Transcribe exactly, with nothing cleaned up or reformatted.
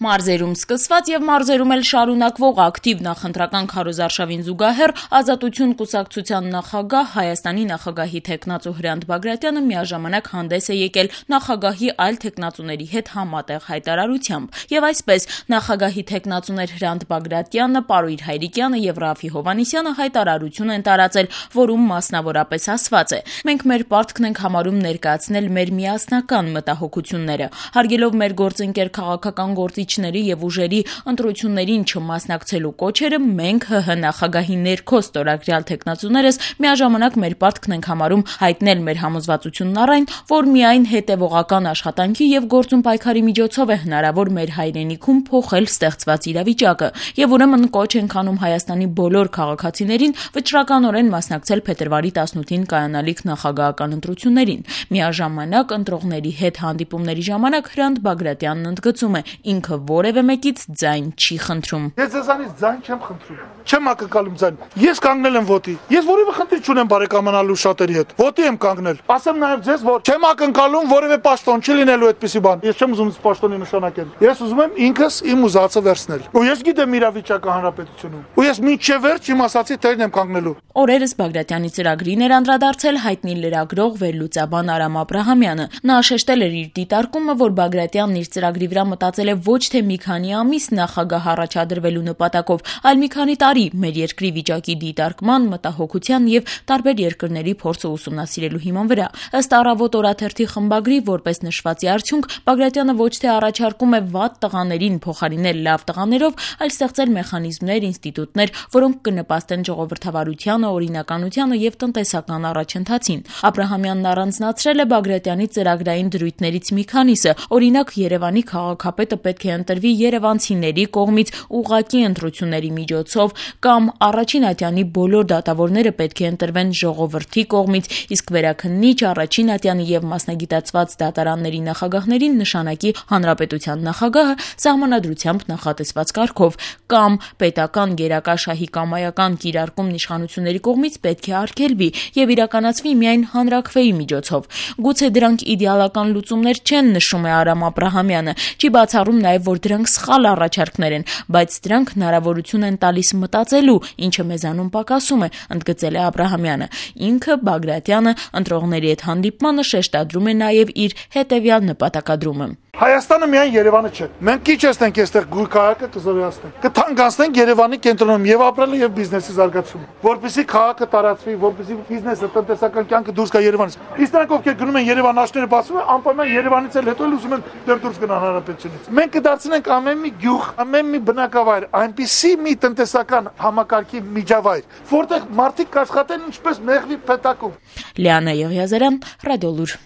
Մարզերում սկսված եւ մարզերում էլ շարունակվող ակտիվ նախընտրական քարոզարշավին զուգահեռ Ազատություն կուսակցության նախագահ Հայաստանի նախագահի թեկնածու Հրանտ Բագրատյանը միաժամանակ հանդես է եկել նախագահի այլ թեկնածուների հետ համատեղ հայտարարությամբ։ Եվ այսպես նախագահի թեկնածուներ Հրանտ Բագրատյանը, Պարույր Հայրիկյանը եւ Ռաֆի Հովհաննիսյանը հայտարարություն են տարածել, որում մասնավորապես ասված է. «Մենք մեր պարտքն ենք համարում ներկայացնել մեր միասնական մտահոգությունները, հարգելով մեր գործընկեր քաղաքական գործիչների եւ ուժերի ընտրություններին չմասնակցելու կոչերը, մենք ՀՀ նախագահի ներքո ստորագրյալ թեկնածուներս միաժամանակ մեր պարտքն ենք համարում հայտնել մեր համոզվածությունն առ այն, որ միայն հետևողական աշխատանքի եւ գործուն պայքարի միջոցով է հնարավոր մեր հայրենիքում փոխել ստեղծված իրավիճակը եւ ուրեմն կոչ ենք անում Հայաստանի բոլոր քաղաքացիներին վճռականորեն մասնակցել փետրվարի տասնութին կայանալիք նախագահական ընտրություններին»։ Միաժամանակ ընտրողների հետ հանդիպումների ժամանակ Հրանտ Բագրատյանն ընդգծում է. ինքը որևէ մեկից ձայն չի խնդրում։ Ես ձեզանից ձայն չեմ խնդրում։ Չեմ ակնկալում ձայն։ Ես կանգնել եմ ոտի։ Ես որևէ խնդիր չունեմ բարեկամանալու շատերի հետ։ Ոտի եմ կանգնել։ Ասեմ նաև ձեզ, որ չեմ ակնկալում որևէ պաշտոն, չի լինելու այդպիսի բան։ Ես չեմ ուզում պաշտոնի նշանակել։ Ես ուզում եմ ինքս իմ ուզածը վերցնել։ Ու ես գիտեմ իրավիճակը հանրապետությունում։ Ու ես մինչև վերջ իմ ասացի տերն եմ կանգնելու։ Օրերս Բագրատյանի ծրագրին էր անդրադարձել հայտնի լրագրող վերլուծաբան Արամ Աբրահամյանը։ Նա շեշտել էր իր դիտարկումը, որ Բագրատյանն իր ծրագրի վրա մտածել է ոչ թե մի քանի ամիս նախագահ առաջադրվելու նպատակով, այլ մի քանի տարի մեր երկրի վիճակի դիտարկման, մտահոգության եւ տարբեր երկրների փորձը ուսումնասիրելու հիման վրա։ Ըստ Առավոտ օրաթերթի խմբագրի, որպես նշվածի արդյունք, Բագրատյանը ոչ թե առաջարկում է վատ տղաներին փոխարինել լավ տղաներով, այլ ստեղծել մեխանիզմներ, ինստիտուտներ, որոնք կնպաստեն ժողովրդավարությանը, օրինականությանը եւ տնտեսական առաջընթացին։ Աբրահամյանն առանձնացրել է Բագրատյանի ծրագրային դրույթներից մի քանիսը, օրինակ Երևանի քաղաքապետը պետք է ընտրվի երևանցիների կողմից ուղղակի ընտրությունների միջոցով, կամ առաջին ատյանի բոլոր դատավորները պետք է ընտրվեն ժողովրդի կողմից, իսկ վերաքննիչ առաջին ատյանի եւ մասնագիտացված դատարանների նախագահներին նշանակի հանրապետության նախագահը սահմանադրությամբ նախատեսված կարգով, կամ պետական գերակա շահի կամայական կիրարկումն իշխանությունների կողմից պետք է արգելվի եւ իրականացվի միայն հանրաքվեի միջոցով։ Գուցե դրանք իդեալական լուծումներ չեն, նշում է Արամ Աբրահամյանը, չի բացառում նաեւ, որ դրանք սխալ առաջարկներ են, բայց դրանք հնարավորություն են տալիս մտածելու, ինչը մեզանում պակասում է, ընդգծել է Աբրահամյանը։ Ինքը Բագրատյանը ընտրողների հետ հանդիպմանը շեշտադրում է նաեւ իր հետեւյալ նպատակադրումը. Հայաստանը միայն Երևանը չէ։ Մենք քիչ էստենք այստեղ գույ քաղաքը կզորացնենք։ Կթանկացնենք Երևանի կենտրոնում եւ ապրելը եւ բիզնեսի զարգացումը, որպեսզի քաղաքը տարածվի, որպեսզի բիզնեսը, տնտեսական կյանքը դուրս գա Երևանից։ Իսկ նրանք ովքեր գնում են Երևան, աշները բացում են, անպայման Երևանից էլ հետո էլ ուզում են դեռ դուրս գնալ հանրապետությունից։ Մենք կդարձնենք ամեն մի գյուղ, ամեն մի բնակավայր այնպիսի մի տնտեսական համակարգի միջավայր, որտեղ մարդիկ կաշխատեն ինչպես մեղվի փետակում։ Լիանա Եղիազարյան, Ռադիոլուր։